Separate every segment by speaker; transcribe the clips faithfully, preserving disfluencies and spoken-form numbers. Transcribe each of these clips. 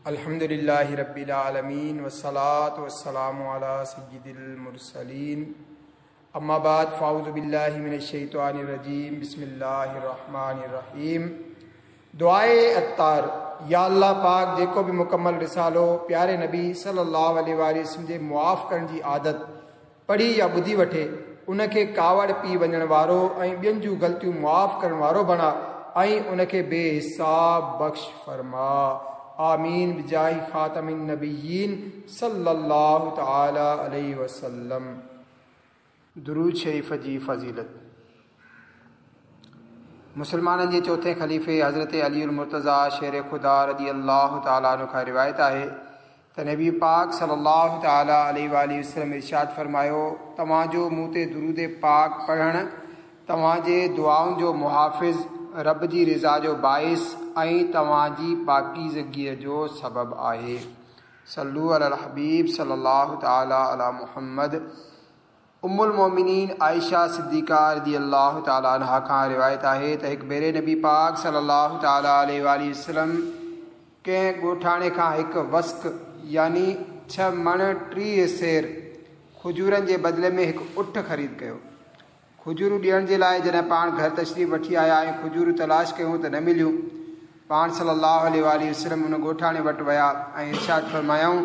Speaker 1: अल्हम्दुलिल्लाहि रब्बिल आलमीन वस्सलातु वस्सलामु अला सय्यिदिल मुरसलीन अम्मा बाद फ़ाऊज़ु बिल्लाहि मिनश शैतानिर रजीम बिस्मिल्लाहिर रहमानिर रहीम। दुआए अत्तार। या अल्लाह पाक जेको बि मुकम्मल रिसालो प्यारे नबी सल्लल्लाहु अलैहि वसल्लम जे मुआफ़ करण जी आदत पढ़ी या ॿुधी वठे उनखे कावड़ पी वञण वारो ऐं ॿियनि जूं ग़लतियूं मुआफ़ करण वारो बणा ऐं उनखे बेहिसाब बख़्श फरमा। आमीन बिजाहि ख़ातमिन नबिय्यीन सल्लल्लाहु तआला अलैहि वसल्लम। दुरूद शरीफ़ जी फ़ज़ीलत। मुसलमाननि जे चौथे ख़लीफ़े हज़रत अली मुर्तज़ा शेर ख़ुदा रदी अल्लाह तआला अन्हु खां रिवायत आहे त नबी पाक सल्लल्लाहु तआला अलैहि वसल्लम इरशाद फरमायो, तव्हांजो मूं ते दुरूद पाक पढ़णु तव्हांजे दुआउनि जो मुहाफ़िज़, रब जी रज़ा जो बाइस ऐं तव्हांजी पाकीज़गीअ जो सबबु आहे। सल्लू अला हबीब सल्लल्लाहु तआला अला मुहम्मद। उम्मुल मोमिनीन आयशा सिद्दीक़ा रदी अल्लाह तआला अन्हा खां रिवायत आहे त हिकु भेरे नबी पाक सल्लल्लाहु तआला अलैहि वसल्लम कंहिं ॻोठाणे खां हिकु वस्क यानी छह मण टीह सेर खजूरनि जे बदिले में हिकु उठ ख़रीद कयो। खजूरूं ॾियण जे लाइ जॾहिं पाण घर तशरीफ़ वठी आया ऐं खजूरूं तलाश कयूं त न मिलियूं। पाण सल्लल्लाहु अलैहि वसल्लम उन ॻोठाणे वटि विया ऐं इरशाद फरमायाऊं,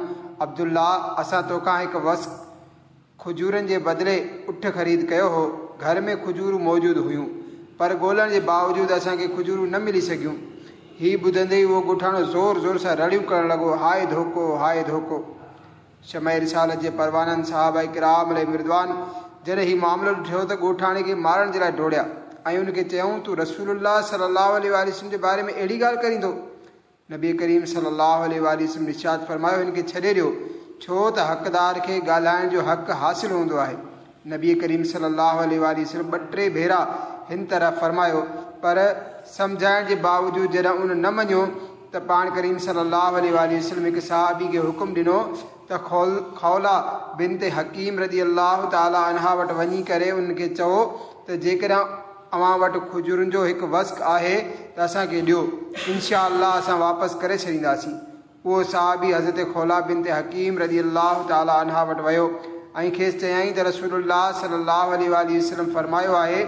Speaker 1: अब्दुल्ला, असां तोखां हिकु वस्क खजूरनि जे बदिले उठ ख़रीद कयो हो। घर में खजूरूं मौजूदु हुयूं पर ॻोल्हण जे बावजूदु असांखे खजूरूं न मिली सघियूं। हीउ ॿुधंदे ई उहो ॻोठाणो ज़ोर ज़ोर सां रड़ियूं करणु लॻो, हाय धोखो, हाय धोखो। शमा रिसालत जे परवाननि सहाबा किराम अलैहिम रिदवान जॾहिं हीउ मामिलो ॾिठो त ॻोठाणे खे मारण जे लाइ डोड़िया ऐं उनखे चयऊं, तूं रसूलुल्लाह सल्लल्लाहु अलैहि वसल्लम जे बारे में अहिड़ी ॻाल्हि करींदो? नबी करीम सल्लल्लाहु अलैहि वसल्लम इरशाद फरमायो, हिन खे छॾे ॾियो, छो त हक़दार खे ॻाल्हाइण जो हक़ हासिलु हूंदो आहे। नबी करीम सल्लल्लाहु अलैहि वसल्लम ॿ टे भेरा हिन तरह फरमायो, पर सम्झाइण जे बावजूदु जॾहिं उन न मञियो त पाण करीम सल्लल्लाहु अलैहि वसल्लम हिकु सहाबी खे हुकुम ॾिनो त खौला बिनत हकीम रदी अल्लाह तआला अन्हा वटि वञी करे उनखे चओ त जेकॾहिं अव्हां वटि खजूरुनि जो हिकु वस्क आहे त असांखे ॾियो, इनशा अल्लाह असां वापसि करे छॾींदासीं। उहो सहाबी हज़रत खौला बिनत हकीम रदी अल्लाह तआला अन्हा वटि वियो ऐं खेसि चयाईं त रसूलुल्लाह सल्लल्लाहु अलैहि वसल्लम फरमायो आहे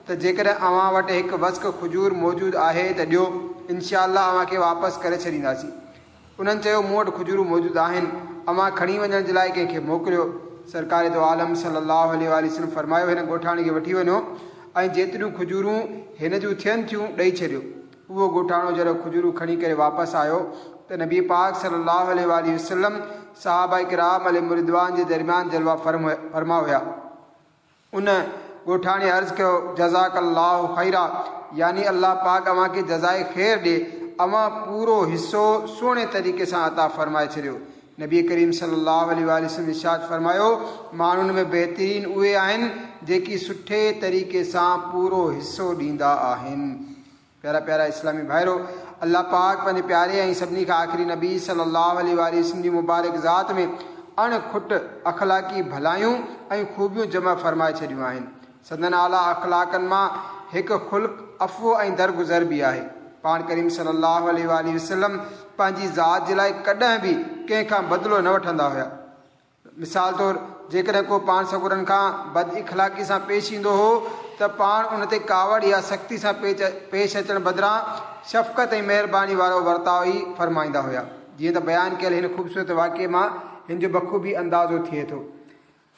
Speaker 1: त जेकॾहिं अव्हां वटि हिकु वस्क खजूर मौजूदु आहे त ॾियो, इनशा अल्लाह अव्हांखे वापसि करे छॾींदासीं। उन्हनि चयो, मूं वटि खजूरूं मौजूदु आहिनि, अव्हां खणी वञण जे लाइ कंहिंखे मोकिलियो। सरकार दो आलम सल्लल्लाहु अलैहि वसल्लम फरमायो, हिन ॻोठाणे खे वठी वञो ऐं जेतिरियूं खजूरूं हिन जूं थियनि थियूं ॾेई छॾियो। उहो ॻोठाणो जॾहिं खजूरूं खणी करे वापसि आयो त नबी पाक सल्लल्लाहु अलैहि वसल्लम सहाबा किराम अलैहिम रिदवान जे दरमियान जलवा फरमा हुया। उन ॻोठाणे अर्ज़ कयो, जज़ाकल्लाहु ख़ैरा, यानी अल्लाह पाक अव्हांखे जज़ाए ख़ैर ॾे, अव्हां पूरो हिसो सुहिणे तरीक़े सां अता फरमाए छॾियो। नबी करीम सल्लल्लाहु अलैहि वसल्लम इरशाद फरमायो, माण्हुनि में बहितरीन उहे आहिनि जेकी सुठे तरीक़े सां पूरो हिसो ॾींदा आहिनि। प्यारा प्यारा इस्लामी भाइरो, अल्लाह पाक पंहिंजे प्यारे ऐं सभिनी खां आख़िरी नबी सल्लल्लाहु अलैहि वसल्लम जी मुबारक ज़ात में अणखुट अख़लाक़ी भलायूं ऐं ख़ूबियूं जमा फरमाए छॾियूं आहिनि। संदन आला अख़लाक़नि मां हिकु ख़ुल्क़ अफ़ो ऐं दरगुज़र बि आहे। पाण करीम सल्लल्लाहु अलैहि वसल्लम पंहिंजी ज़ात जे लाइ कॾहिं बि कंहिंखां बदिलो न वठंदा हुया। मिसाल तौरु जेकॾहिं को पाण सगुरनि खां बद इख़लाक़ी सां पेश ईंदो हो त पाण उन ते कावड़ या सख़्ती सां पेश अचण बदिरां शफ़क़त ऐं महिरबानी वारो वर्ताव ई फरमाईंदा हुया। जीअं त बयानु कयल हिन ख़ूबसूरत वाक़िए मां हिन जो बख़ूबी अंदाज़ो थिए थो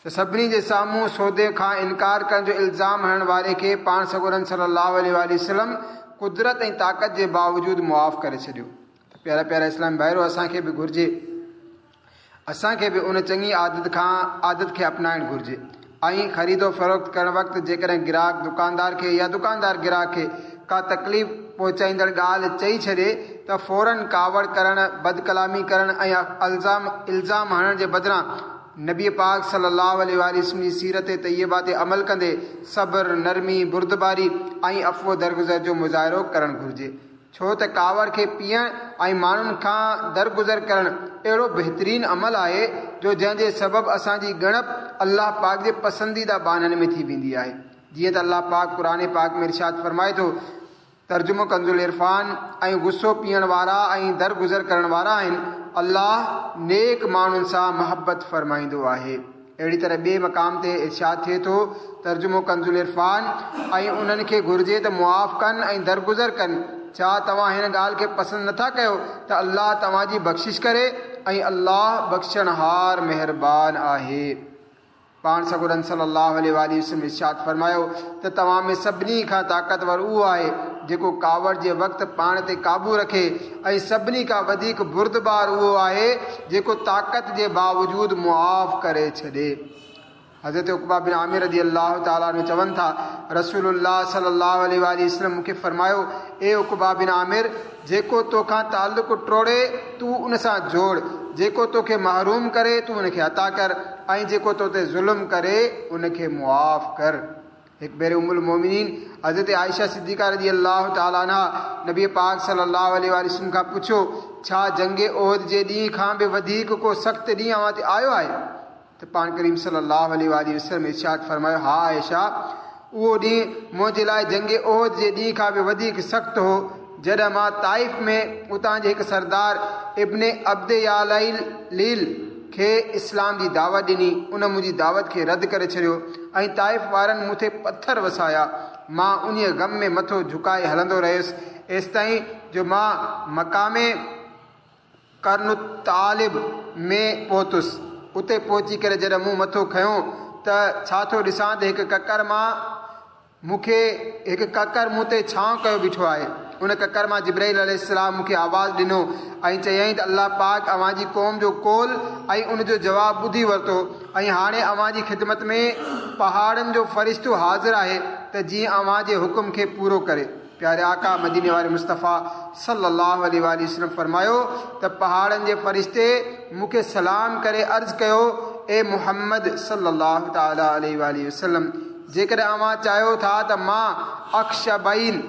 Speaker 1: त सभिनी जे साम्हूं सौदे खां इनकार करण जो इल्ज़ाम हणण वारे खे पाण सगुरनि सल्लल्लाहु अलैहि वसल्लम कुदरत ऐं ताक़त जे बावजूदु मुआफ़ करे छॾियो। त प्यारा प्यारा इस्लाम भाइरो, असांखे बि घुर्जे असांखे बि उन चङी आदत खां आदत खे अपनाइणु घुर्जे ऐं ख़रीदो फ़रोख़्त करण वक़्तु जेकॾहिं ग्राहक दुकानदार खे या दुकानदार ग्राहक खे का तकलीफ़ पहुचाईंदड़ ॻाल्हि चई छॾे त फ़ौरन कावड़ करण, बदकलामी करण ऐं इल्ज़ाम इल्ज़ाम हणण जे बदिरां नबी पाक सल्लल्लाहु अलैहि वसल्लम जी सीरत तय्यबा ते अमल कंदे सब्र, नरमी, बुर्दबारी ऐं अफ़ो दरगुज़र जो मुज़ाहिरो करणु घुर्जे। छो त कावड़ खे पीअण ऐं माण्हुनि खां दरगुज़र करणु अहिड़ो बहितरीन अमल आहे जो जंहिंजे सबबु असांजी ॻणप अल्लाह पाक जे पसंदीदा बाननि में थी वेंदी आहे। जीअं त अल्लाह पाक क़ुरान पाक में इरशाद फरमाए थो, तर्जुमो कंजुल इरफान, ऐं गुस्सो पीअण वारा ऐं दरगुज़र करण वारा आहिनि, الله نيڪ ماڻهن سان محبت فرمائيندو آهي. اهڙي طرح ٻئي مقام تي ارشاد ٿئي ٿو، ترجمو ڪنز العرفان، ۽ انهن کي گهرجي ته معاف ڪن ۽ درگذر ڪن. ڇا توهان هن ڳالهه کي پسند نٿا ڪيو ته الله توهان جي بخشش ڪري ۽ الله بخشڻهار مهربان آهي. پاڻ سڳورن صلي الله عليه وآله وسلم ارشاد فرمايو ته توهان ۾ سڀني کان طاقتور اهو آهي جيڪو ڪاوڙ جي وقت پاڻ تي قابو رکي ۽ سڀني کان وڌيڪ بردبار اهو آهي جيڪو طاقت جي باوجود معاف ڪري ڇڏي. حضرت عقبه بن عامر رضي الله تعالٰي عنه چون ٿا، رسول الله صلي الله عليه وآله وسلم مون کي فرمايو، اي عقبه بن عامر، جيڪو توکان تعلق ٽوڙي تون ان سان جوڙ، جيڪو توکي محروم ڪري تون ان کي عطا ڪر ۽ جيڪو تو تي ظلم ڪري ان کي معاف ڪر. هڪ ڀيري ام المومنين حضرت عائشه صديقه رضي الله تعالٰي عنها نبي پاڪ صلي الله عليه وآله وسلم کان پڇيو، ڇا جنگ احد جي ڏينهن کان به وڌيڪ ڪو سخت ڏينهن اوهان تي آيو آهي؟ ته پاڻ ڪريم صلي الله عليه وآله وسلم ارشاد فرمايو، ها عائشه، اهو ڏينهن منهنجي لاء جنگ احد جي ڏينهن کان به وڌيڪ سخت هو، جڏهن مان طائف ۾ اتان جي هڪ سردار ابن عبد ياليل کي اسلام جي دعوت ڏني، ان منهنجي دعوت کي رد ڪري ڇڏيو ۽ طائف وارن مون تي پٿر وسايا. مان انهيء غم ۾ مٿو جهڪائي هلندو رهيس، ايستائين جو مان مقام قرن الطالب ۾ پهتس. اتي پهچي ڪري جڏهن مون مٿو کنيو ته ڇا ٿو ڏسان ته هڪ ڪڪر مان مون کي هڪ ڪڪر مون تي ڇانو ڪيو بيٺو آهي. ان ڪڪر مان جبرائيل عليه السلام مون کي آواز ڏنو ۽ چيائين ته الله پاڪ اوهان جي قوم جو قول ۽ ان جو جواب ٻڌي ورتو ۽ هاڻي اوهان جي خدمت ۾ پهاڙن جو فرشتو حاضر آهي ته جيئن اوهان جي حڪم کي پورو ڪري. پياري آقا مديني واري مصطفيٰ صلي الله عليه وآله وسلم فرمايو ته پهاڙن جي فرشتي مون کي سلام ڪري عرض ڪيو، اي محمد صلي الله تعالٰي عليه وآله وسلم، جيڪڏهن اوهان چاهيو ٿا ته مان اخشبين،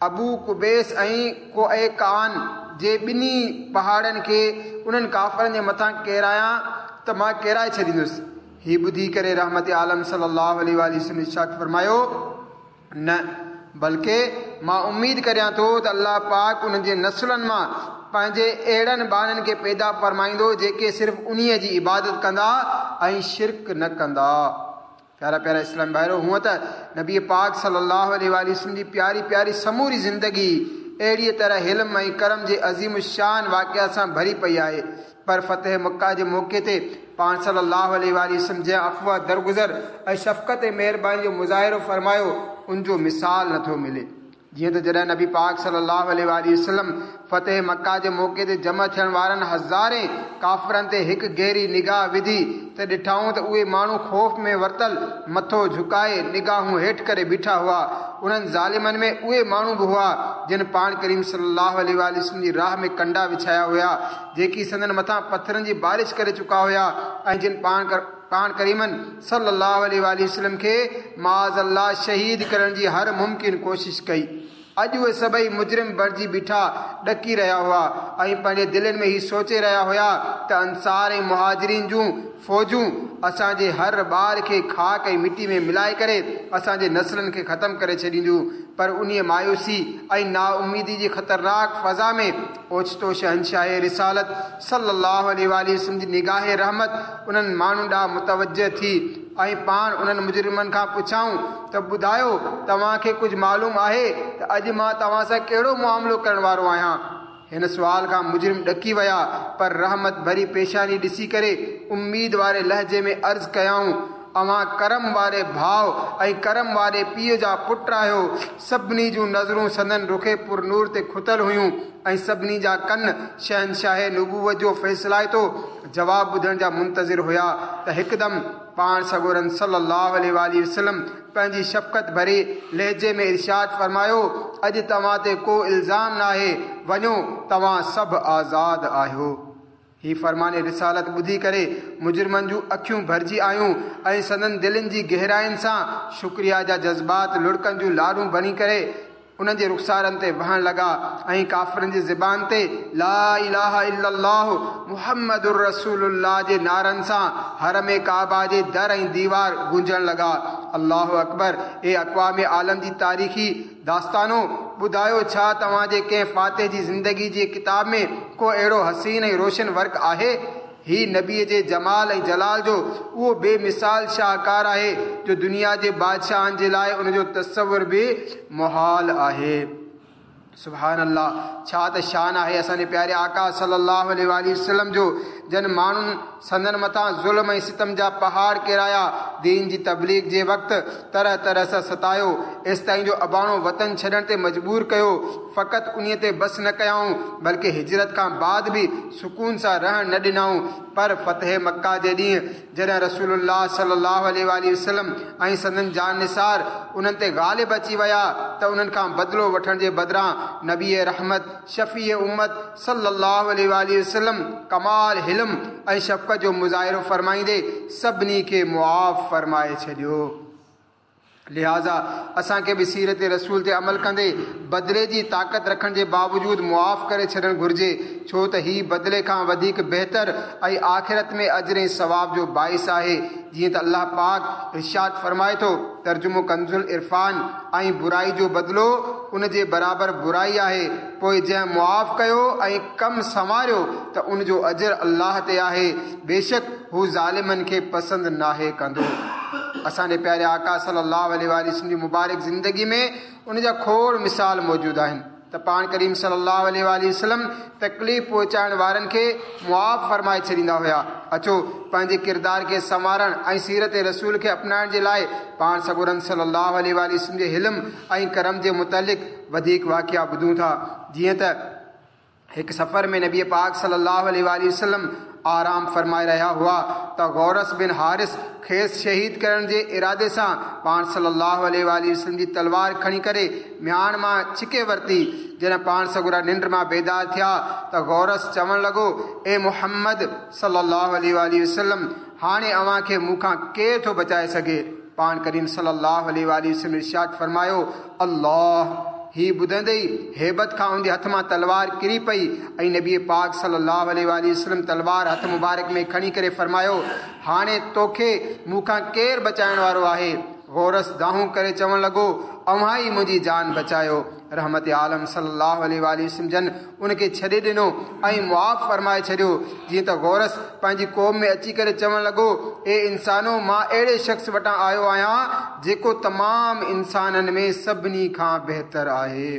Speaker 1: ابو قبيس ۽ قعقعان جي ٻنهي پهاڙن کي انهن ڪافرن جي مٿان ڪيرايان ته مان ڪيرائي ڇڏيندس. هي ٻڌي ڪري رحمت عالم صلي الله عليه وآله وسلم ارشاد فرمايو، نه، بلڪه مان اميد ڪريان ٿو ته الله پاڪ انهن جي نسلن مان پنهنجي اهڙن ٻانهن کي پيدا فرمائيندو جيڪي صرف انهيء جي عبادت ڪندا ۽ شرڪ نه ڪندا. پيارا پيارا اسلام ڀائرو، هونء ته نبي پاڪ صلي الله عليه وآله وسلم جي پياري پياري سموري زندگي اهڙيء طرح حلم ۽ ڪرم جي عظيم الشان واقعات سان ڀري پئي آهي، پر فتح مڪه جي موقعي تي پاڻ صلي الله عليه وآله وسلم جنهن عفو، درگذر ۽ شفقت ۽ مهرباني جو مظاهرو فرمايو، ان جو مثال نٿو ملي. جيئن ته جڏهن نبي پاڪ صلي الله عليه وآله وسلم فتح مڪه جي موقعي تي جمع ٿيڻ وارن هزارين ڪافرن تي هڪ گهري نگاهه وڌي ته ڏٺائون ته اهي ماڻهو خوف ۾ ورتل مٿو جهڪائي نگاهون هيٺ ڪري بيٺا هئا. انهن ظالمن ۾ اهي ماڻهو به هئا جن پاڻ ڪريم صلي الله عليه وآله وسلم جي راهه ۾ ڪنڊا وڇايا هيا، جيڪي سندن مٿان پٿرن جي بارش ڪري چڪا هيا ۽ جن پاڻ پاڻ ڪريمن صلي الله عليه وآله وسلم کي معاذ الله شهيد ڪرڻ جي هر ممڪن ڪوشش ڪئي. اڄ اهي سڀئي مجرم بڻجي بيٺا ڏڪي رهيا هئا ۽ پنهنجي دلين ۾ هي سوچي رهيا هيا ته انصار ۽ مهاجرين جون فوجون اسان جي هر ٻار کي خاڪ ۽ مٽي ۾ ملائي ڪري اسان جي نسلن کي ختم ڪري ڇڏينديون. پر انهيء مايوسي ۽ نااميدي جي خطرناڪ فضا ۾ اوچتو شهنشاهه رسالت صلي الله عليه وآله وسلم جي نگاهه رحمت انهن ماڻهن ڏانهن متوجه ٿي ۽ پاڻ انهن مجرمن کان پڇيائون ته ٻڌايو توهان کي ڪجهه معلوم آهي ته اڄ مان توهان سان ڪهڙو معاملو ڪرڻ وارو آهيان؟ هن سوال کان مجرم ڏڪي ويا، پر رحمت ڀري پيشاني ڏسي ڪري اميد واري لهجي ۾ عرض ڪيائون، اوهان ڪرم واري ڀاء ۽ ڪرم واري پيء جا پٽ آهيو. سڀني جون نظرون سندن رخ پرنور تي کتل هيون ۽ سڀني جا ڪن شهنشاهه نبوت جو فيصلائتو جواب ٻڌڻ جا منتظر هيا ته هڪدم پاڻ سڳورن صلي الله عليه وآله وسلم پنهنجي شفقت ڀري لهجي ۾ ارشاد فرمايو، اڄ توهان تي ڪو الزام ناهي، وڃو توهان سڀ آزاد آهيو. هي فرمان رسالت ٻڌي ڪري مجرمن جون اکيون ڀرجي آيون ۽ سندن دلين جي گهراين سان شڪريه جا جذبات لڙڪن جون لارون بڻي ڪري انهن جي رخسارن تي وهڻ لڳا ۽ ڪافرن جي زبان تي لا اله الا الله محمد رسول الله جي نعرن سان حرم ڪعبه جي در ۽ ديوار گونجڻ لڳا. الله اڪبر! اي اقوام عالم جي تاريخي داستانو! ٻڌايو، ڇا توهان جي ڪنهن فاتح جي زندگي جي ڪتاب ۾ ڪو اهڙو حسين ۽ روشن ورق آهي؟ هي نبيء جي جمال ۽ جلال جو اهو بي مثال شاهڪار آهي جو دنيا جي بادشاهن جي لاء ان جو تصور به محال آهي. سبحان الله، ڇا ته شان آهي اسان جي پياري آقا صلي الله عليه وآله وسلم جو، جن ماڻهن سندن مٿان ظلم ۽ ستم جا پهاڙ ڪيرايا، دين جي تبليغ جي وقت طرح طرح سان ستايو، ايستائين جو اباڻو وطن ڇڏڻ تي مجبور ڪيو. فقط انهيء تي بس نه ڪيائون، بلڪه هجرت کان بعد به سڪون سان رهڻ نه ڏنائون. پر فتح مڪه جي ڏينهن جڏهن رسول الله صلي الله عليه وآله وسلم ۽ سندن جان نثار انهن تي غالب اچي ويا ته انهن کان بدلو وٺڻ جي بدران نبي رحمت، شفيع امت صلي الله عليه وآله وسلم ڪمال حلم ۽ شفقت جو مظاهرو فرمائيندي سڀني کي معاف فرمائي ڇڏيو. لهٰذا اسان کي به سيرت رسول تي عمل ڪندي بدلي جي طاقت رکڻ جي باوجود معاف ڪري ڇڏڻ گهرجي، ڇو ته هي بدلي کان وڌيڪ بهتر ۽ آخرت ۾ اجر ۽ ثواب جو باعث آهي. جيئن ته الله پاڪ ارشاد فرمائي ٿو، ترجمو ڪنزالعرفان، ۽ برائي جو بدلو ان جي برابر برائي آهي، پوء جنهن معاف ڪيو ۽ ڪم سنواريو ته ان جو اجر الله تي آهي، بيشڪ هو ظالمن کي پسند ناهي ڪندو. اسان جي پياري آقا صلي الله عليه وآله وسلم جي مبارڪ زندگي ۾ ان جا کوڙ مثال موجود آهن ته پاڻ ڪريم صلي الله عليه وآله وسلم تڪليف پهچائڻ وارن کي معاف فرمائي ڇڏيندا هيا. اچو پنهنجي ڪردار کي سنوارڻ ۽ سيرت رسول کي اپنائڻ جي لاء پاڻ سڳورن صلي الله عليه وآله وسلم جي حلم ۽ ڪرم جي متعلق وڌيڪ واقعا ٻڌون ٿا. جيئن ته هڪ سفر ۾ نبي پاڪ صلي الله عليه وآله وسلم آرام فرمائي رهيا هئا ته غورث بن حارث کيس شهيد ڪرڻ جي ارادي سان پاڻ صلي الله عليه وآله وسلم جي تلوار کڻي ڪري مياڻ مان ڇڪي ورتي. جڏهن پاڻ سڳورا ننڊ مان بيدار ٿيا ته غورث چوڻ لڳو، اي محمد صلي الله عليه وآله وسلم، هاڻي اوهان کي مون کان ڪير ٿو بچائي سگهي؟ پاڻ ڪريم صلي الله عليه وآله وسلم ارشاد فرمايو، الله. هي ٻڌندي ئي هيبت کان ان جي هٿ مان تلوار ڪري پئي ۽ نبي پاڪ صلي الله عليه وآله وسلم تلوار هٿ مبارڪ ۾ کڻي ڪري فرمايو، هاڻي توکي مون کان ڪير بچائڻ وارو آهي؟ غورث دانهون ڪري چوڻ لڳو، اوهان ئي منهنجي جان بچايو. رحمت عالم صلي الله عليه وآله وسلم جن ان کي ڇڏي ڏنو ۽ معاف فرمائي ڇڏيو. جيئن ته غورث پنهنجي قوم ۾ اچي ڪري چوڻ لڳو، اي انسانو، مان اهڙي شخص وٽان آيو آهيان جيڪو تمام انسانن ۾ سڀني کان بهتر آهي.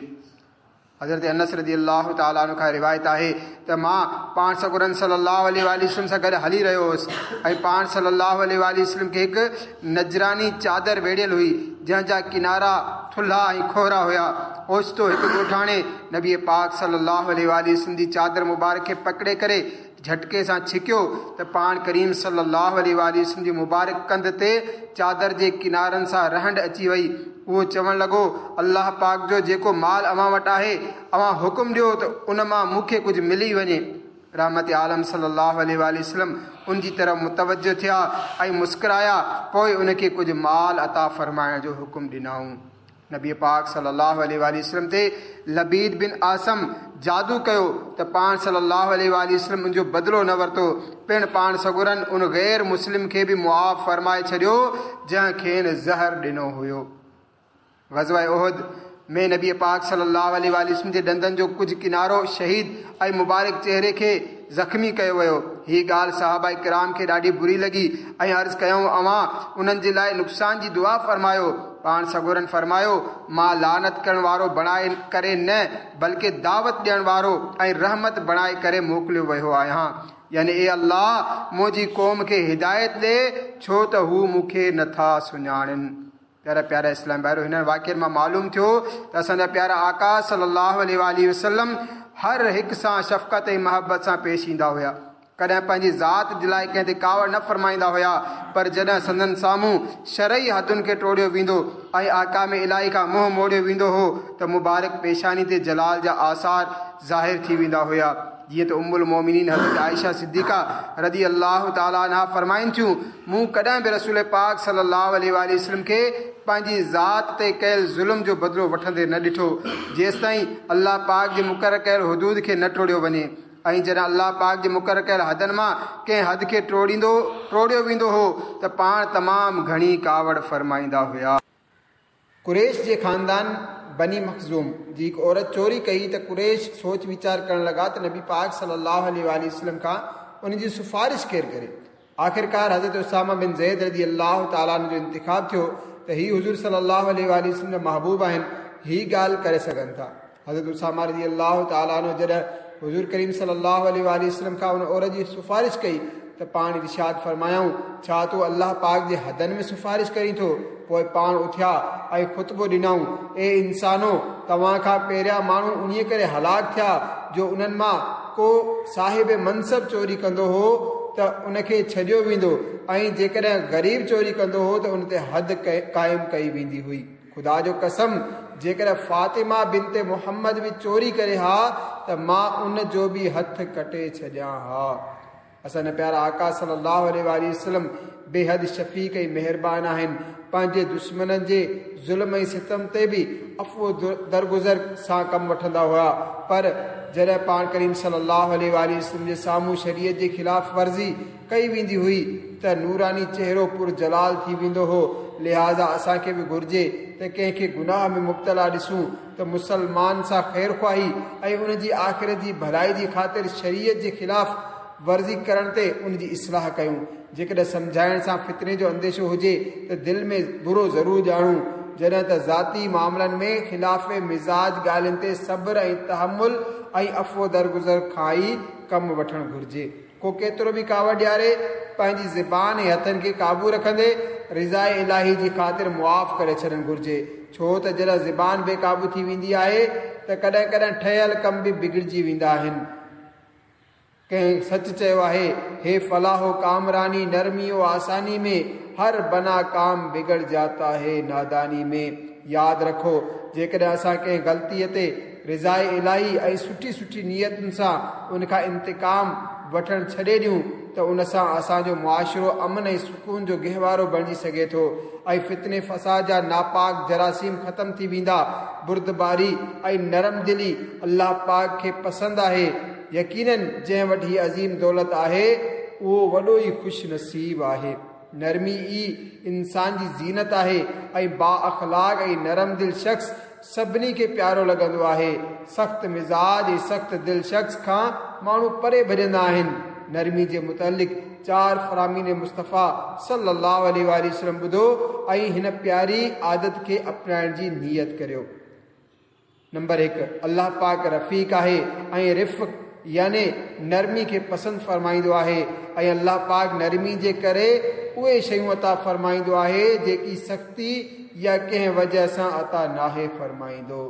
Speaker 1: حضرت انس رضي الله تعالٰي عنه کان روايت آهي ته مان پاڻ سڳورن صلي الله عليه وآله وسلم سان گڏ هلي رهيو هوس ۽ پاڻ صلي الله عليه وآله وسلم کي هڪ نجراني چادر ويڙهيل هئي، جنهن جا ڪنارا ٿلها ۽ کوهرا هيا. اوچتو هڪ ڳوٺاڻي نبي پاڪ صلي الله عليه وآله وسلم جي چادر مبارڪ کي پڪڙي ڪري جهٽڪي سان ڇڪيو ته پاڻ ڪريم صلي الله عليه وآله وسلم جي مبارڪ ڪنڌ تي چادر جي ڪنارن سان رهنڊ اچي وئي. اهو چوڻ لڳو، الله پاڪ جو جيڪو مال اوهان وٽ آهي، اوهان حڪم ڏيو ته ان مان مون کي ڪجهه ملي وڃي. رحمت عالم صلي الله عليه وآله وسلم ان جي طرف متوجه ٿيا ۽ مسڪرايا، پوء ان کي ڪجهه مال عطا فرمائڻ جو حڪم ڏنائون. نبي پاڪ صلي الله عليه وآله وسلم تي لبيد بن اعصم جادو ڪيو ته پاڻ صلي الله عليه وآله وسلم ان جو بدلو نه ورتو. پڻ پاڻ سڳورن ان غير مسلم کي به معاف فرمائي ڇڏيو جنهن کين زهر ڏنو هيو. غزوه احد ۾ نبي پاڪ صلي الله عليه وآله وسلم جي ڏندن جو ڪجهه ڪنارو شهيد ۽ مبارڪ چهري کي زخمي ڪيو ويو. هي ڳالهه صحابه ڪرام کي ڏاڍي بري لڳي ۽ عرض ڪيائون، اوهان انهن جي لاء نقصان جي دعا فرمايو. پاڻ سڳورن فرمايو، مان لعنت ڪرڻ وارو بڻائي ڪري نه بلڪه دعوت ڏيڻ وارو ۽ رحمت بڻائي ڪري موڪليو ويو آهيان. يعني اي الله، منهنجي قوم کي هدايت ڏي، ڇو ته هو مون کي نٿا سڃاڻن. پيارا پيارا اسلام ڀائرو، هنن واقعن مان معلوم ٿيو ته اسان جا پيارا آقا صلي الله عليه وآله وسلم هر هڪ سان شفقت ۽ محبت سان پيش ايندا هيا. ڪڏهن پنهنجي ذات جي لاء ڪنهن تي ڪاوڙ نه فرمائيندا هيا، پر جڏهن سندن سامهون شرعي حدن کي ٽوڙيو ويندو ۽ احڪام الاهي کان منهن موڙيو ويندو هو ته مبارڪ پيشاني تي جلال جا آثار ظاهر ٿي ويندا هيا. جيئن ته ام المومنين حضرت عائشه صديقه رضي الله تعالٰي عنها فرمائن ٿيون، مون ڪڏهن به رسول پاڪ صلي الله عليه وآله وسلم کي پنهنجي ذات تي ڪيل ظلم جو بدلو وٺندي نه ڏٺو، جيستائين الله پاڪ جي مقرر ڪيل حدود کي نه ٽوڙيو وڃي. ۽ جڏهن الله پاڪ جي مقرر ڪيل حدن مان ڪنهن حد کي ٽوڙيندو ٽوڙيو ويندو هو ته پاڻ تمام گهڻي ڪاوڙ فرمائيندا هيا. قريش جي خاندان बनी मखज़ूम जी हिकु औरत चोरी कई त कुरैश सोच वीचार करण लॻा त नबी पाक सल्लल्लाहु अलैहि वसल्लम खां उन जी सिफारिश केरु करे। आख़िरकार हज़रत उसामा बिन ज़ैद रज़ी अल्लाह तआला जो इंतिखाब थियो त ही हुज़ूर सल्लल्लाहु अलैहि वसल्लम जा महबूब आहिनि, ही ॻाल्हि करे सघनि था। हज़रत उसामा रज़ी अल्लाह तआला जॾहिं हुज़ूर करीम सल्लल्लाहु अलैहि वसल्लम खां उन औरत जी सिफारिश कई त पाण इरशाद फरमायाऊं, छा तूं अल्लाह पाक जे हदनि में सिफारिश करीं थो? पोइ पाण उथिया ऐं ख़ुतबो ॾिनाऊं, ए इंसानो, तव्हां खां पहिरियां माण्हू उन्हीअ करे हलाक थिया जो उन्हनि मां को साहिब मनसब चोरी कंदो हो त उनखे छॾियो वेंदो ऐं जेकॾहिं ग़रीब चोरी कंदो हो त उन ते हद क़ाइमु कई वेंदी हुई। ख़ुदा जो कसम, जेकॾहिं फ़ातिमा बिनते मोहम्मद बि चोरी करे हा त मां उन जो बि हथु कटे छॾियां हा। असांजा प्यारा आका सल्लल्लाहु अलैहि वसल्लम बेहद शफ़ीक ऐं महिरबान आहिनि। पंहिंजे दुश्मननि जे ज़ुल्म ऐं सितम ते बि अफ़ो दरगुज़र सां कमु वठंदा हुआ, पर जॾहिं पाण करीम सल्लल्लाहु अलैहि वसल्लम जे साम्हूं शरीयत जे ख़िलाफ़ वर्ज़ी कई वेंदी हुई त नूरानी चेहरो पुर जलाल थी वेंदो हो। लिहाज़ा असांखे बि घुर्जे त कंहिंखे गुनाह में मुब्तला ॾिसूं त मुसलमान सां ख़ैर ख़्वाही ऐं उनजी आख़िरत जी भलाई जी ख़ातिर शरीयत जे ख़िलाफ़ वर्ज़ी करण ते उनजी इस्लाह कयूं। जेकॾहिं सम्झाइण सां फितने जो अंदेशो हुजे त दिलि में बुरो ज़रूरु ॼाणूं। जॾहिं त ज़ाती मामलनि में ख़िलाफ़ मिज़ाज ॻाल्हियुनि ते सब्र ऐं तहमुल ऐं अफ़ो दरगुज़र खां ई कमु वठणु घुर्जे। को केतिरो बि कावड़ ॾियारे पंहिंजी ज़बान ऐं हथनि खे क़ाबू रखंदे रिज़ाए इलाही जी ख़ातिर मुआफ़ करे छॾणु घुर्जे, छो त जॾहिं ज़बान बेक़ाबू थी वेंदी आहे त कॾहिं कॾहिं ठहियल कम बि बिगड़िजी वेंदा आहिनि। कंहिं सच चयो आहे, हे फलाहो कामरानी नरमी और आसानी में, हर बना काम बिगड़ जाता है नादानी में। यादि रखो, जेकॾहिं असां कंहिं ग़लतीअ ते रिज़ाए इलाही ऐं सुठी सुठी नियतुनि सां उनखां इंतिकाम वठणु छॾे ॾियूं त उन सां असांजो मुआशिरो अमन ऐं सुकून जो गहवारो बणिजी सघे थो ऐं फितने फसाद जा नापाक जरासीम ख़त्म थी वेंदा। बुर्दबारी ऐं नरम दिली अल्लाह पाक खे पसंदि आहे। यकीनन जंहिं वटि हीअ अज़ीम दौलत आहे उहो वॾो ई ख़ुशि नसीब आहे। नरमी ई इंसान जी ज़ीनत आहे ऐं बाअख़लाक ऐं नरम दिल शख़्स सभिनी खे प्यारो लॻंदो आहे। सख़्तु मिज़ाज ऐं सख़्तु दिल शख़्स खां माण्हू परे भॼंदा आहिनि। नरमी जे मुतालिक़ चार फरामीन मुस्तफ़ा सल्लल्लाहु अलैहि वसल्लम ॿुधो ऐं हिन प्यारी आदत खे अपनाइण जी नीयत करियो। नंबर हिकु, अल्लाह पाक रफ़ीक आहे ऐं रिफ़ यानी नरमी खे पसंदि फरमाईंदो आहे ऐं अल्लाह पाक नरमी जे करे उहे शयूं अता फरमाईंदो आहे जेकी सख़्ती या कंहिं वजह सां अता नाहे फरमाईंदो।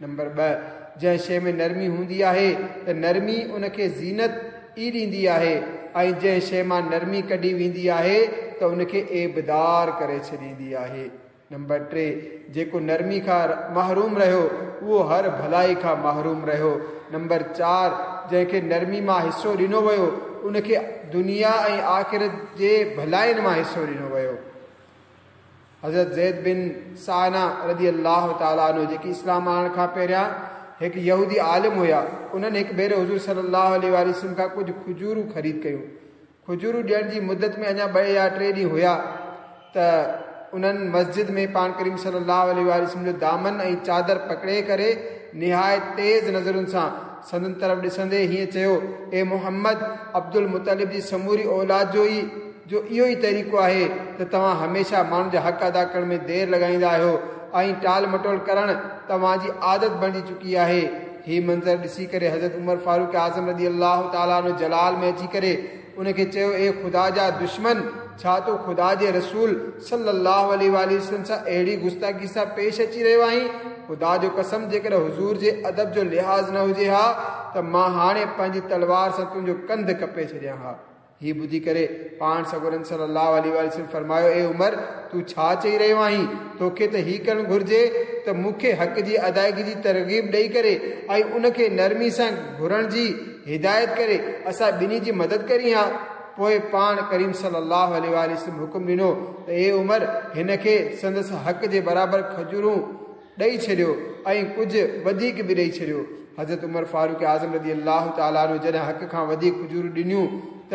Speaker 1: नंबर ॿ, जंहिं शइ में नरमी हूंदी आहे त नरमी उनखे ज़ीनत ई ॾींदी आहे ऐं जंहिं शइ मां नरमी कढी वेंदी आहे त उनखे ऐबदार करे छॾींदी आहे। नंबर टे, जेको नरमी खां महरूम रहियो उहो हर भलाई खां महरूम रहियो। नंबर चार, जंहिंखे नरमी मां हिसो ॾिनो वियो उनखे दुनिया ऐं आख़िरत जे भलाइनि मां हिसो ॾिनो वियो। हज़रत ज़ैद बिन साना रज़ी अल्लाह तआला अन्हु जेकी इस्लाम आणण खां पहिरियां हिकु यहूदी आलिम हुया, उन्हनि हिकु भेरो हुज़ूर सल्लल्लाहु अलैहि वसल्लम खां कुझु खजूरूं ख़रीद कयूं। खजूरूं ॾियण जी मुदत में अञा ॿ या टे ॾींहं हुया त उन्हनि मस्जिद में पाण करीम सल्लल्लाहु अलैहि वसल्लम जो दामन ऐं चादर पकड़े करे निहायत तेज़ नज़रुनि सां संदन तरफ़ ॾिसंदे हीअं चयो, ए मोहम्मद, अब्दुल मुतलिब जी समूरी औलाद जो ई जो इहो ई तरीक़ो आहे त तव्हां हमेशह माण्हुनि जा हक़ अदा करण में देरि लॻाईंदा आहियो ऐं टाल मटोल करणु तव्हांजी आदत बणिजी चुकी आहे। ही मंज़र ॾिसी करे हज़रत उमर फ़ारूक आज़म रज़ी अल्लाह तआला अन्हु जलाल में अची करे उनखे चयो, ए ख़ुदा जा दुश्मन, छा तूं ख़ुदा जे रसूल सल्लल्लाहु अलैहि वसल्लम सां अहिड़ी गुस्ताखी सां पेश अची रहियो आहीं? ख़ुदा जो कसम, जेकॾहिं हुज़ूर जे अदब जो लिहाज़ न हुजे हा त मां हाणे पंहिंजी तलवार सां तुंहिंजो कंध कपे छॾियां हा। ही ॿुधी करे पाण सगोरनि सल्लल्लाहु अलैहि वसल्लम फरमायो, ए उमर, तूं छा चई रहियो आहीं? तोखे त ही करणु घुर्जे त मूंखे हक़ जी अदायगी जी तरग़ीब ॾेई करे ऐं उनखे नरमी सां घुरण जी हिदायत करे असां ॿिन्ही जी मदद करी हा। पोइ पाण करीम सल्लल्लाहु अलैहि वसल्लम हुकुम ॾिनो त ए उमर, हिन खे संदसि हक़ जे बराबरि खजूरूं ॾेई छॾियो ऐं कुझु वधीक बि ॾेई छॾियो। हज़रत उमर फ़ारूक आज़म रज़ी अल्लाह तआला अन्हु जॾहिं हक़ खां वधीक खजूरूं ॾिनियूं त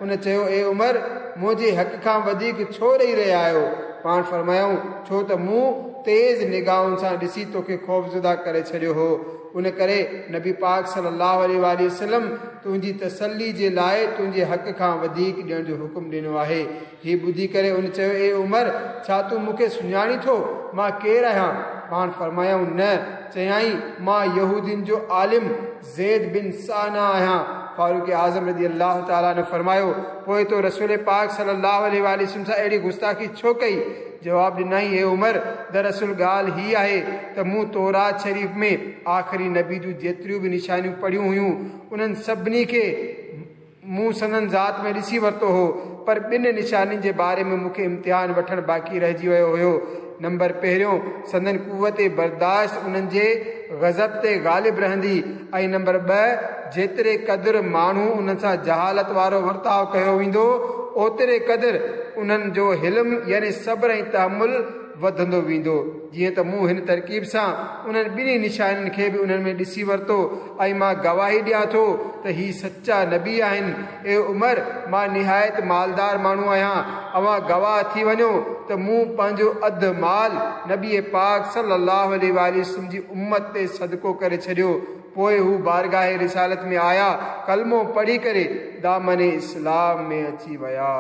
Speaker 1: उन चयो, ए उमर, मुंहिंजे हक़ खां वधीक छो ॾेई रहिया आहियो? पाण फरमायूं, छो त मूं تيز نگاهن سان ڏسي توکي خوفزده ڪري ڇڏيو هو۔ ان ڪري نبي پاڪ صلي الله عليه وآله وسلم تنهنجي تسلي جي لاءِ تنهنجي حق کان وڌيڪ ڏيڻ جو حڪم ڏنو آهي۔ هي ٻڌي ڪري ان چيو، اي عمر، ڇا تون مون کي سڃاڻي ٿو؟ مان ڪير آهيان؟ پاڻ فرمايائون، نه۔ چيائين، مان يهودين جو عالم زيد بن سانا آهيان۔ فاروق اعظم رضي الله تعاليٰ عنه فرمايو، پوءِ تو رسول پاڪ صلي الله عليه وآله وسلم سان اهڙي گستاخي ڇو ڪئي؟ جواب ڏنائين، اي عمر، دراصل ڳالهه هي آهي ته مون تورات شريف ۾ آخري نبي جون جيتريون به نشانيون پڙهيون هيون انهن سڀني کي مون سندن ذات ۾ ڏسي ورتو هو، پر ٻن نشانين جي باري ۾ مون کي امتحان وٺڻ باقي رهجي ويو هيو۔ نمبر پهريون، سندن قوت برداشت انهن جي غضب تي غالب رهندي، ۽ نمبر ٻه، جيتري قدر ماڻهو انهن سان جهالت وارو ورتاءُ ڪيو ويندو اوتري قدر انهن جو حلم يعني صبر ۽ تحمل وڌندو ويندو۔ جيئن ته مون هن ترڪيب سان انهن ٻنهي نشانين کي به انهن ۾ ڏسي ورتو ۽ مان گواهي ڏيان ٿو ته هي سچا نبي آهن۔ اي عمر، مان نهايت مالدار ماڻهو آهيان، اوهان گواهه ٿي وڃو ته مون پنهنجو اڌ مال نبي پاڪ صلي الله عليه وآله وسلم جي امت تي صدقو ڪري ڇڏيو۔ پوءِ هو بارگاهه رسالت ۾ آيا، ڪلمو پڙهي ڪري دامن اسلام ۾ اچي ويا۔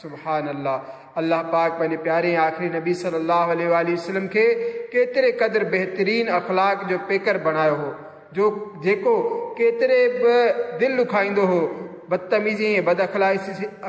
Speaker 1: سبحان الله۔ الله پاڪ پنهنجي پياري آخري نبي صلي الله عليه وآله وسلم کي ڪيتري قدر بهترين اخلاق جو پيڪر بڻايو هو، جو جيڪو ڪيتري به دل ڏکائيندو هو، بدتميزي ۽ بد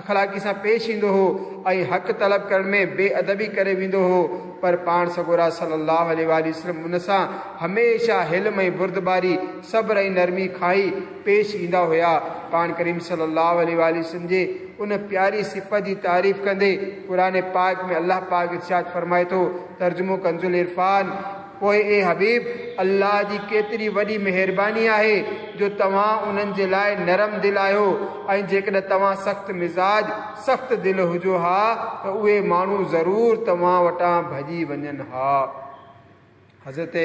Speaker 1: اخلاقي سان پيش ايندو هو ۽ حق طلب ڪرڻ ۾ بي ادبي ڪري ويندو هو، پر پاڻ سڳورا صلي الله عليه وآله وسلم ان سان هميشه حلم ۽ بردباري، صبر ۽ نرمي کائي پيش ايندا هئا۔ پاڻ ڪريم صلي الله عليه وآله وسلم جي ان پياري صفت جي تعريف ڪندي قرآن پاڪ ۾ الله پاڪ ارشاد فرمائي ٿو، ترجمو ڪنز العرفان، پوءِ اي حبيب، الله جي ڪيتري وڏي مهرباني آهي جو توهان انهن جي لاءِ نرم دل آهيو، ۽ جيڪڏهن توهان سخت مزاج سخت دل هجو ها ته اهي ماڻهو ضرور توهان وٽان ڀڄي وڃن ها۔ حضرت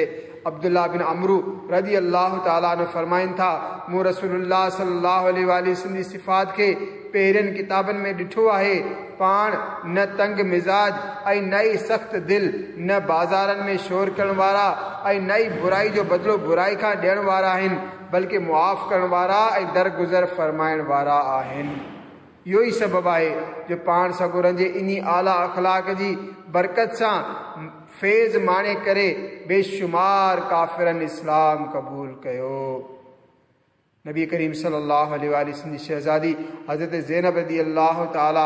Speaker 1: عبدالله بن عمرو رضي الله تعاليٰ عنه فرمائن ٿا، مون رسول الله صلي الله عليه وآله وسلم جي صفات کي پهرين ڪتابن ۾ ڏٺو آهي۔ پاڻ نه تنگ مزاج ۽ نه ئي سخت دل، نه بازارن ۾ شور ڪرڻ وارا ۽ نه ئي برائي جو بدلو برائي کان ڏيڻ وارا آهن، بلڪه معاف ڪرڻ وارا ۽ درگذر فرمائڻ وارا آهن۔ اهو ئي سبب آهي جو پاڻ سڳورن جي انهي اعليٰ اخلاق جي برڪت سان فيض ماڻي ڪري بيشمار ڪافرن اسلام قبول ڪيو۔ نبي ڪريم صلي الله عليه وآله وسلم جي شهزادي حضرت زينب رضي الله تعاليٰ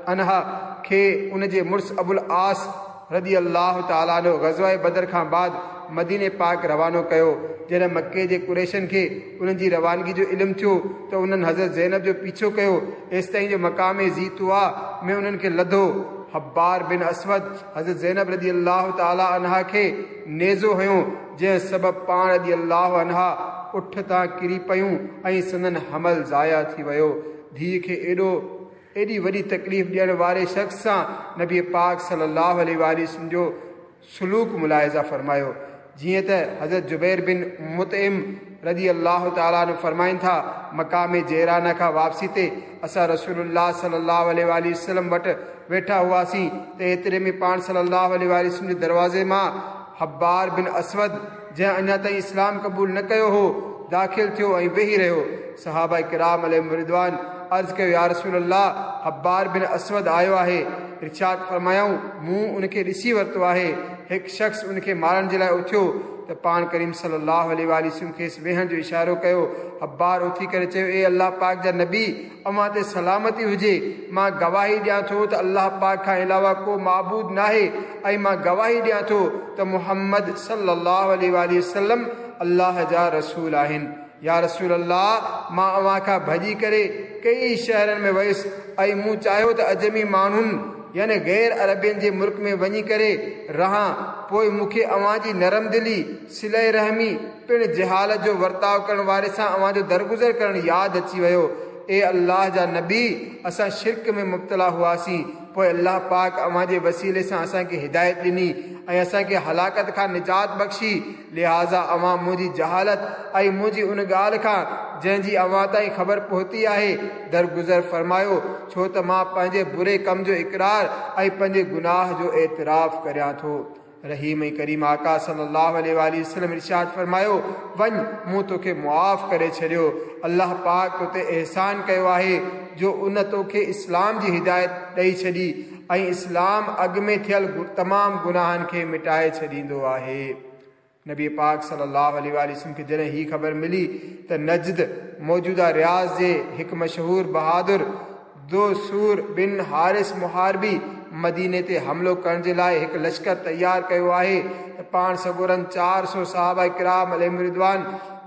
Speaker 1: عنها کي ان جي مڙس ابو العاص رضي الله تعاليٰ عنه غزوه بدر کان بعد مديني پاڪ روانو ڪيو۔ جڏهن مڪي جي قريشن کي انهن جي روانگي جو علم ٿيو ته انهن حضرت زينب جو پيڇو ڪيو، ايستائين جو مقام ذي طويٰ ۾ انهن کي لڌو۔ حبار بن اسود حضرت زينب رضي الله تعاليٰ عنها کي نيزو هنيو، جنهن سبب پاڻ رضي الله عنها اٺ تان ڪري پيون ۽ سندن حمل ضايع ٿي ويو۔ ڌيءَ کي ايڏو ايڏي وڏي تڪليف ڏيڻ واري شخص سان نبي پاڪ صلي الله عليه وآله وسلم جو سلوڪ ملاحظه فرمايو۔ جيئن ته حضرت جبير بن مطعم رضي الله تعاليٰ عنه فرمائن ٿا، مقام جيرانه کان واپسي تي اسان رسول الله صلي الله عليه وآله وسلم وٽ ويٺا هئاسين ته ايتري ۾ پاڻ صلي الله عليه وآله وسلم جي دروازي مان حبار بن اسود، جنهن اڃا تائين اسلام قبول نه ڪيو هو، داخل ٿيو ۽ ويهي رهيو۔ صحابه ڪرام عليهم رضوان عرض ڪيو، يا رسول الله، حبار بن اسود آيو آهي۔ ارشاد فرمايائون، مون ان کي ڏسي ورتو آهي۔ هڪ شخص ان کي مارڻ جي لاءِ اٿيو ته پاڻ ڪريم صلي الله عليه وآله وسلم کيس ويهڻ جو اشارو ڪيو۔ حبار اٿي ڪري چيو، اي الله پاڪ جا نبي، اوهان تي سلامتي هجي، مان گواهي ڏيان ٿو ته الله پاڪ کان علاوه ڪو معبود ناهي، ۽ مان گواهي ڏيان ٿو ته محمد صلي الله عليه وآله وسلم الله جا رسول آهن۔ يا رسول الله، مان اوهان کان ڀڄي ڪري ڪئي شهرن ۾ ويس ۽ مون چاهيو ته اجمي ماڻهن يعني غير عربين جي ملڪ ۾ وڃي ڪري رهان، پوءِ مون کي اوهان جي نرم دلي، صله رحمي پڻ جهالت جو ورتاءُ ڪرڻ واري سان اوهان جو درگذر ڪرڻ ياد اچي ويو۔ اي الله جا نبي، اسان شرڪ ۾ مبتلا هئاسين، پوءِ الله پاڪ اوهان جي وسيلي سان اسان کي هدايت ڏني ۽ اسان کي هلاڪت کان نجات بخشي۔ لهذا اوهان منهنجي جهالت ۽ منهنجي ان ڳالهه کان جنهن جي اوهان تائين خبر پهتي آهي درگذر فرمايو، ڇو ته مان پنهنجي بري ڪم جو اقرار ۽ پنهنجي گناهه جو اعتراف ڪريان ٿو۔ रहीम ऐं करीम आका सल्लल्लाहु अलैहि वसल्लम इरशाद फरमायो, वञ, मूं तोखे मुआफ़ करे छॾियो। अलाह पाक तो ते एहसान कयो आहे जो उन तोखे इस्लाम जी हिदायत ॾेई छॾी ऐं इस्लाम अॻु में थियल तमामु गुनाहनि खे मिटाए छॾींदो आहे। नबी पाक सल्लल्लाहु अलैहि वसल्लम खे जॾहिं हीअ ख़बर मिली त नजद मौजूदा रियाज़ जे हिकु मशहूर बहादुर दोसूर बिन हारिस मुहारबी मदीने ते हमलो करण जे लाइ हिकु लश्कर तयारु कयो आहे त पाण सगोरनि चारि सौ सहाबा किराम अलैहिम रिदवान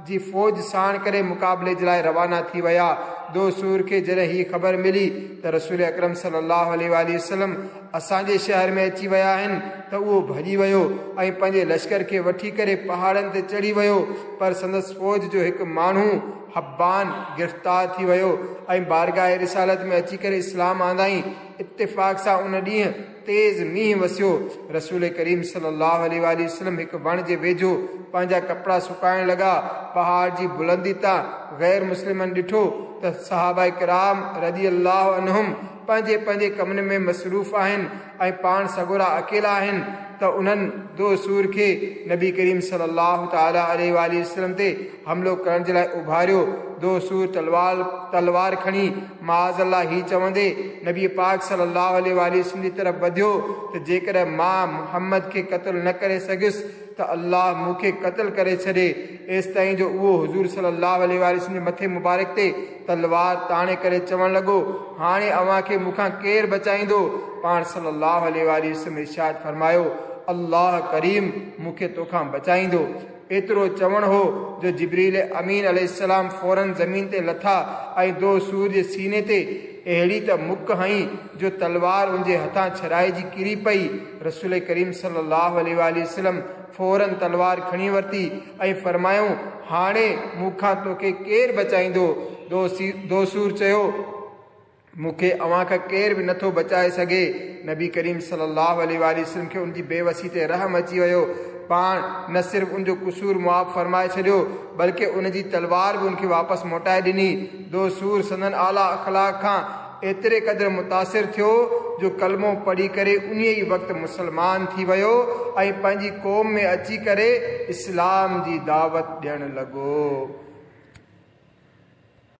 Speaker 1: जी फ़ौज साण करे मुक़ाबले जे लाइ रवाना थी विया। दोसूर खे जॾहिं हीअ ख़बर मिली त रसूल अकरम सल्लल्लाहु अलैहि वसल्लम असांजे शहर में अची विया आहिनि त उहो भॼी वियो ऐं पंहिंजे लश्कर खे वठी करे पहाड़नि ते चढ़ी वियो, पर संदसि फ़ौज जो हिकु माण्हू हब्बान गिरफ़्तार थी वियो ऐं बारगाह रिसालत में अची करे इस्लाम आंदाई। इत्तिफ़ाक़ सां उन ॾींहुं तेज़ मींहुं वसियो। रसूल करीम सल्लल्लाहु अलैहि वसल्लम हिकु वण जे वेझो पंहिंजा कपिड़ा सुकाइण लॻा। पहाड़ जी बुलंदी तां गैर मुस्लिमनि ॾिठो त सहाबा किराम रज़ी अल्लाह अन्हुम पंहिंजे पंहिंजे कमनि में मसरूफ़ आहिनि ऐं पाण सगोरा अकेला आहिनि त उन्हनि दोसूर खे नबी करीम सल्लल्लाहु ताला अलैहि वसल्लम ते हमलो करण जे लाइ उभारियो। दोसूर तलवार तलवार खणी माज़ अल्लाह ही चवंदे नबी पाक सल्लल्लाहु अलैहि वसल्लम जी तरफ़ वधियो त जेकॾहिं मां मुहम्मद खे क़तलु न करे सघियुसि त अल्लाह मूंखे क़तलु करे छॾे। एसि ताईं जो उहो हुज़ूर सल्लल्लाहु अलैहि वसल्लम जे मथे मुबारक ते तलवार ताणे करे चवणु लॻो, हाणे अव्हां खे मूंखां केरु बचाईंदो? पाण सल्लल्लाहु अलैहि वसल्लम इरशाद फरमायो, अल्लाह करीम मूंखे तोखां बचाईंदो। एतिरो चवणु हो जो जिब्रील अमीन अलैहिस्सलाम फ़ौरन ज़मीन ते लथा ऐं दोसूर जे सीने ते अहिड़ी त मुक हई जो तलवार उनजे हथां छॾाइजी किरी पई। रसूल करीम सल्लल्लाहु अलैहि वसल्लम फ़ौरन तलवार खणी वरिती ऐं फरमायूं, हाणे मूंखां तोखे केरु बचाईंदो? दोसूर चयो, मूंखे अव्हां खां केरु बि नथो बचाए सघे। नबी करीम सल्लल्लाहु अलैहि वसल्लम खे उनजी बेवसी ते रहम अची वियो। पाण न सिर्फ़ उनजो कसूर मुआफ़ फरमाए छॾियो बल्कि उनजी तलवार बि उनखे वापसि मोटाए ॾिनी। दोसूर संदन आला अख़लाक़ खां एतिरे क़दुरु मुतासिर थियो जो कलमो पढ़ी करे उन ई वक़्तु मुसलमान थी वियो ऐं पंहिंजी क़ौम में अची करे इस्लाम जी दावत ॾियणु लॻो।